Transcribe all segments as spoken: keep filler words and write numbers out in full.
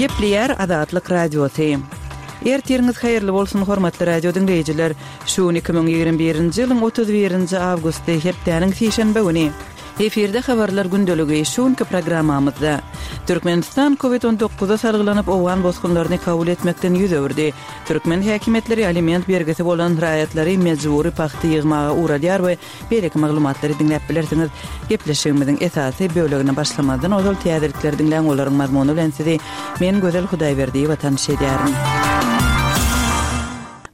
Gepleýär Azatlyk Radiosy. Ertiriňiz haýyrly bolsun, hormatly radio diňleýjiler. Şu gün iki müň ýigrimi birinji ýylyň otuz birinji awgusty, hepdäniň sişenbe güni. Efirde habarlar gündeligi şu günki programmamyzda. Türkmenistan Covid on dokuza salgylanyp owgan bosgunlaryny kabul etmekden ýüz öwürdi. Türkmen häkimiýetleri aliment bergisi bolan raýatlary mejbury pagta ýygmaga ugradýar we beýleki maglumatlary diňläp bilersiňiz. Gepleşigimiziň esasy bölegine başlamazdan ozal täzelikleri diňläň, olaryň mazmuny bilen sizi men Gözel Hudaýberdiýewa tanyş edýärin.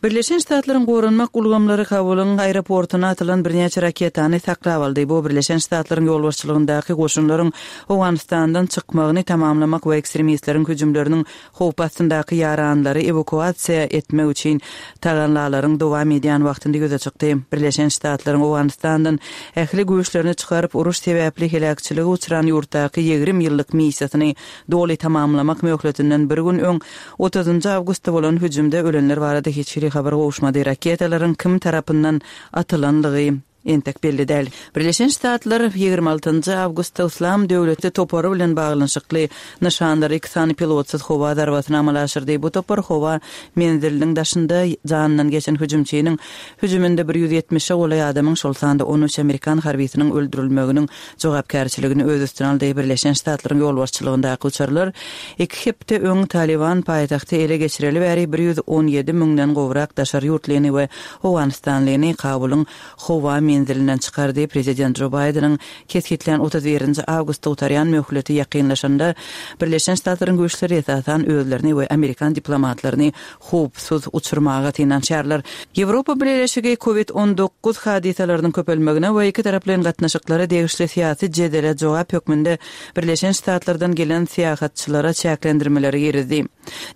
Birleşen Ştatlaryň goranmak ulgamlary Kabulyň aeroportuna atylan birnäçe raketany saklap aldy. Bu Birleşen Ştatlaryň ýolbaşçylygyndaky goşunlaryň Owganystandan çykmagyny tamamlamak we ekstremistleriň hüjümleriniň howp astyndaky ýaranlary ewakuasiýa etmek üçin tagallalaryň dowam edýän wagtynda ýüze çykdy. Birleşen Ştatlaryň Owganystandan ähli güýçlerini çykaryp, uruş sebäpli heläkçilige uçran ýurtdaky ýigrimi ýyllyk missiýasyny doly tamamlamak möhletinden bir gün öň otuzynjy awgustda bolan hüjümde ölenler barada hiç hili habar gowuşmady. Raketalaryň kim tarapyndan atylanlygy entek belli däl. Birleşen Ştatlar ýigrimi altynjy awgustda Yslam döwleti topary bilen baglanyşykly nyşanlary iki sany pilotsyz howa zarbasyny amala aşyrdy. Bu topar howa menziliniň daşynda janyndan geçen hüjümçiniň hüjüminde bir ýüz ýetmişe golaý adamyň, şol sanda on üç amerikan harbysynyň öldürilmeginiň jogapkärçiligini öz üstüne aldy. Birleşen Ştatlaryň ýolbaşçylygyndaky uçarlar iki hepde öň Taliban paýtagty ele geçireli bäri bir ýüz on ýedi müňden gowrak daşary ýurtlyny we owganystanlyny Kabulyň howa menzilinden çykardy. Prezident Jo Baýdeniň kesgitlän otuz birinji awgustda gutarýan möhleti ýakynlaşanda Birleşen Ştatlaryň güýçleri esasan özlerini we amerikan diplomatlaryny howpsuz uçurmaga synanyşarlar. Ýewropa Bileleşigi Covid on dokuz hadysalarynyň köpelmegine we iki taraplaýyn gatnaşyklara degişli syýasy jedele jogap hökmünde Birleşen Ştatlardan gelen syýahatçylara çäklendirmeleri girizdi.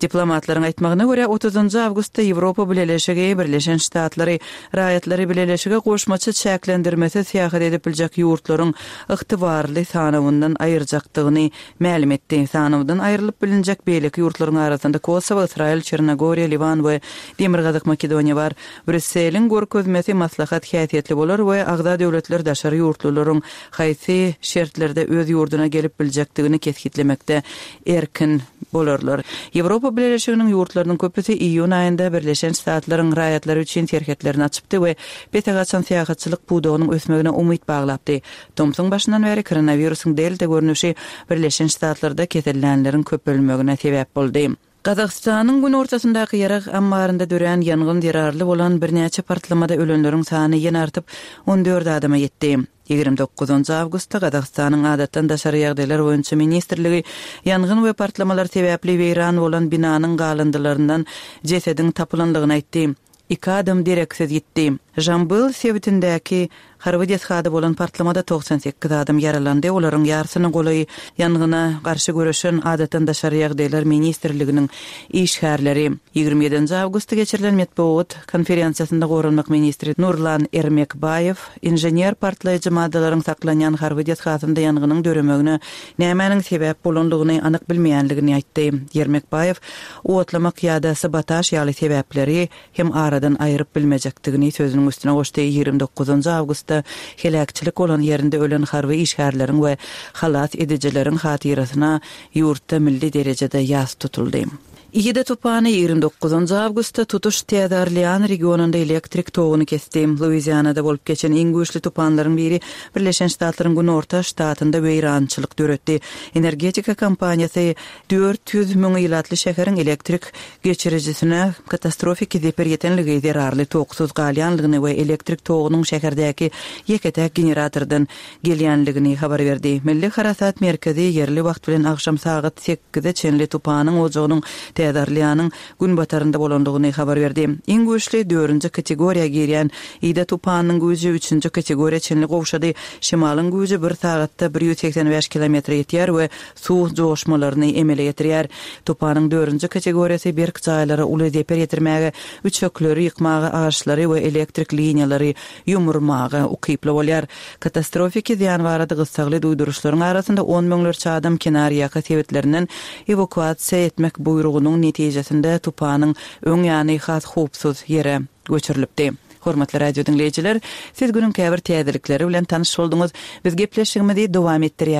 Diplomatlaryň aýtmagyna görä, otuzynjy awgustda Ýewropa Bileleşigi Birleşen Ştatlary raýatlary bileleşige goşmaça çäklendirmesi syýahat edip biljek ýurtlaryň ygtybarly sanawyndan aýyrjakdygyny mälim etdi. Sanawdan aýrylyp bilinjek beýleki ýurtlaryň arasynda Kosowo, Ysraýyl, Çernogoriýa, Liwan we Demirgazyk Makedoniýa bar. Brüsseliň görkezmesi maslahat häsiýetli bolar we agza döwletler daşary ýurtlularyň haýsy şertlerde öz ýurduna gelip biljekdigini kesgitlemekde erkin bolarlar. Ýewropa Bileleşiginiň ýurtlarynyň köpüsi iýun aýynda Birleşen Ştatlaryň raýatlary üçin serhetlerini açypdy we pese gaçan syýahatçylyk pudagynyň ösmegine umyt baglapdy. Tomsuň başyndan bäri koronawirusyň delta görnüşi Birleşen Ştatlarda kesellänleriň köpelmegine sebäp boldy. Gazagystanyň günortasyndaky ýarag ammarynda dörän ýangyn zerarly bolan birnäçe partlamada ölenleriň sany ýene artyp on dört adama ýetdi. Ýigrimi dokuzynjy awgustda Gazagystanyň adatdan daşary ýagdaýlar boýunça ministrligi ýangyn we partlamalar sebäpli weýran bolan binanyň galyndylaryndan jesediň tapylanlygyny aýtdy. Iki adam dereksiz ýitdi. Jambyl sebitindäki harby desgada bolan partlamada togsan sekiz adam ýaralandy. Olaryň ýarsynyň golaýy ýangyna garşy göreşen adatdan daşary ýagdaýlar ministrliginiň işgärleri. Ýigrimi ýedinji awgustda geçirilen metbugat konferensiýasynda goranmak ministri Nurlan Ermekbaýew inžener partlaýjy maddalaryň saklanýan harby desgasynda ýangynyň döremegine nämäniň sebäp bolandygyny anyk bilmeýänligini aýtdy. Ermekbaýew otlamak ýa-da sabotaž ýaly sebäpleri hem aradan aýryp bilmejekdigini sözüniň üstüne goşdy. Ýigrimi dokuzynjy awgustda heläkçilik bolan ýerinde ölen harby işgärleriň we halas edijileriň hatyrasyna ýurtda milli derejede ýas tutuldy. Ida tupany ýigrimi dokuzynjy awgustda tutuş Täze Orlean regionunda elektrik toguny kesdi. Luizianada bolup geçen iň güýçli tupanlaryň biri Birleşen Ştatlaryň Günorta ştatynda weýrançylyk döretdi. Energetika kompaniýasy dört ýüz müň ilatly şäheriň elektrik geçirijisine katastrofiki zeper ýetenligi zerarly toksuz galýanlygyny we elektrik togunyň şäherdäki ýeke-täk generatordan gelýänligini habar berdi. Milli Harasat merkezi ýerli wagt bilen agşam sagat sekize çenli tupanyň ojagynyň Täze Orleanyň günbatarynda bolandygyny habar berdi. Iň güýçli dördünji kategoriýa girýän Ida tupanyň güýji üçünji kategoriýa çenli gowşady. Şimalyň güýji bir sagatda bir ýüz segsen bäş kilometre ýetýär we suw joşmalaryny emele getirýär. Tupanyň dördünji kategoriýasy berk jaýlara uly zeper ýetirmäge, üçekleri ýykmaga, agaçlary we elektrik liniýalary ýumurmaga ukyply bolýar. Katastrofiki zyýan barada gyssagly duýduryşlaryň arasynda on müňlerçe adam kenarýaka sebetlerinden ewakuasiýa etmek buýrugynyň netijesinde tupanyň öň ýany has howpsuz ýere göçürilipdi. Hormatly radio diňleýjiler, siz günüň käbir täzelikleri bilen tanyş bolduňyz. Biz gepleşigimizi dowam etdirýäris.